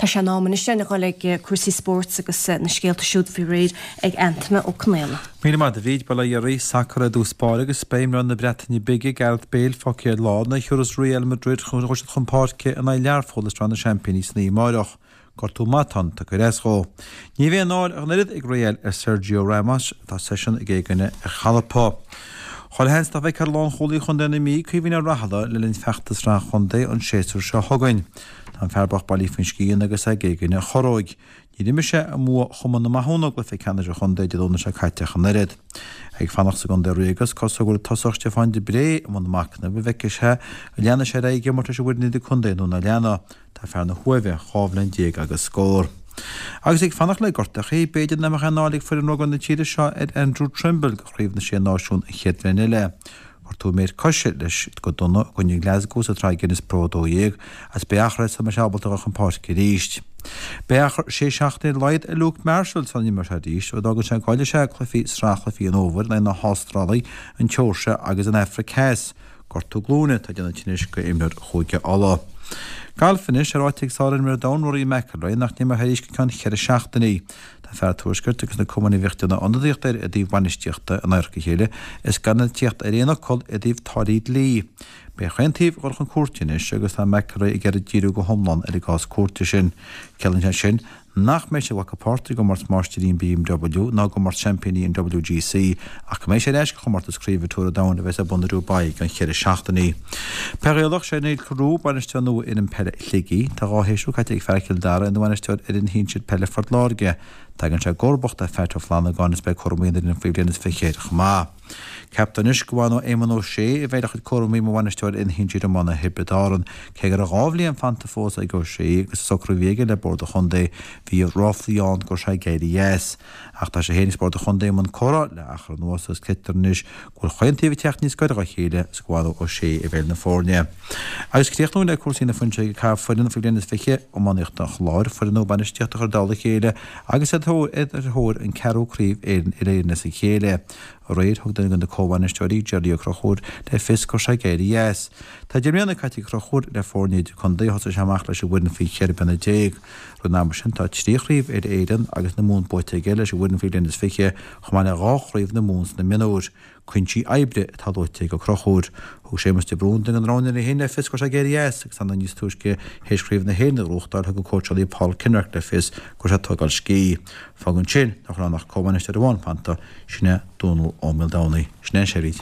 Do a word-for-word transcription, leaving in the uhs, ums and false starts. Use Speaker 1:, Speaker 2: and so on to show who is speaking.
Speaker 1: Tá sé in am anois a dhul ag cúrsaí spóirt agus na scéalta siúd faoi réir ag Antaine Ó Conghaile.
Speaker 2: Míle maith a Bhríd bail ó Dhia oraibh sacar i dtús báire agus beidh imreoir na Breataine Bige Gareth Bale fágtha ar lár nuair a thiúrfas Real Madrid chun chun páirce in aghaidh Learpholl i Sraith na Seaimpíní san oíche amárach. Gortú matáin tugtha ar ais dhó. Ní bheidh an náire ach an oiread ag Real ar Sergio Ramos atá seisean ag éagaoineadh ar chalpa. Chuile sheans nach bhfeicfear lánchúlaí Chontae na Mí Caoimhín Ó Raghallaigh le linn feachtas Sraith an Chontae an séasúr seo chugainn. Tá an fear bocht bailithe faoin scian agus é ag éagaoineadh a chorróig. Níor imir sé i mbua Chumann na Mathúna i gcluiche ceannais an chontae Dé Domhnaigh seo caite ach an oiread. Ag fanacht sa gcontae Ríoga is cosúil go bhfuil tosach Stiofán de Bré i mbun machnaimh an bhfeicfidh sé an leanfaidh sé ar aghaidh ag imirt leis an bhfoireann idir-contae nó nach leanfaidh. Tá fear na hUaimhe dhá bhliain déag agus scór. Agus ag fanacht le gortachaí, b'fhéidir nach mbeadh aon náire ag foireann rugbaí na tíre seo ar Andrew Trimble go Chraobh na Sé Náisiún an chéad bhliain eile. Gortú méar coise leis go dona i gcoinne Glasgow sa tsraith Guinness Pro a dó dhéag agus beidh achar sula mbeidh sé ábalta dul chun páirce arís. Beidh achar sé seachtaine ar a laghad ar Luke Marshall sula n-imreoidh sé arís ó d'fhágann sé go gcaillfidh sé cluichí sraith chluichí an fhómhair in aghaidh na hAstráile, an tSeoirsia agus an Afraic Theas. Gortú glúine atá ag déanamh tinnis go imreoir Chúige Uladh. Galf anois é ráite ag sárimreoir an domhain Rory McIlroy nach n-imreoidh arís go ceann cheithre seachtainí. Tá fear an Tuaiscirt agus na cumainn a bhíodh ag déanamh ionadaíocht air i dtaobh bainistíochta in adharca a chéile is gan iad ag tíocht ar aon fhocal i dtaobh táillí dlí. Beidh chaon taobh ag dul chun cúirte anois agus tá McIlroy ag iarraidh díriú go hiomlán ar an gcás cúirte sin. Ciallaíonn sé sin nach mbeidh sé ag glacadh páirt i gcomórtas máistirí an BMW ná i gcomórtas seaimpíní an WGC ach go mbeidh sé ar ais go chomórtas craoibhe Tour an Domhain a bheas ar bun i Dubai i gceann cheithre seachtainí. Peil Ghaelach sé Niall Carew bainisteoir nua fhoireann peile Shligigh. Tá dhá shéasúr caite ag fear Chill Dara ina bhainisteoir ar fhoireann shinsir peile Phort Láirge. Tagann sé i gcomharbacht ar Phat Ó Flannagáin is beidh cúramaí an fhoireann faoi bhliain is fiche air chomh maith. Ceaptar anois go bhfanfaidh Éamonn Ó Sé a bheidh le chuid cúramaí mar bhainisteoir fhoireann shinsir iomána Thiobraid Árann, cé go raibh dhá bhliain fanta fós ag Ó Sé agus sa socrú a bhí aige le Bord an Chontae bhí ráflaí ann go raibh sé ag éirí as. Ach tá sé féin agus Bord an Chontae i mbun comhrá le achar anuas agus creidtear anois go bhfuil chaon taobh ag teacht níos gaire dá chéile agus go bhfanfaidh Ó Sé i bhfeighil na foirne. Agus críochnú le cúrsaí na fuinseoige ag caitheamh foireann faoi bhliain is fiche iománaíochta an Chláir, foireann nua bainistíochta a chur i dtoll a chéile agus iad ar thóir an ceathrú craobh Éireann uile-Éireann as a chéile. Aréir thug duine de na comhbhainisteoirí Jerry Ó Conchúir le fios go raibh sé ag éirí as. Tá deich mbliana caite ag Ó Conchúir le foirne idir-contae thosaigh sé amach leis an bhfoireann faoi cheithre bliana déag. Roimh an am sin tá trí chraobh uile-Éireann agus na Mumhan buaite aige leis an bhfoireann faoi bhliain is fiche chomh maith le dhá chraobh na Mumhan sna mionúir. Cúinsí oibre atá luaite ag Ó Conchúir. Thug Séamus de Brún duine den roghnóirí féin le fios go raibh sé ag éirí as agus anna níos túisce théis craobh na hÉireann a ghnóthachtáil thug an cóitseálaí Paul Kinnerk le fios go raibh sé ag tógáil scíth. Fágann sin nach raibh ach comhbhainisteoir amháin fanta sin é Dónal Ó Maoldomhnaigh. Sin é an séiríd.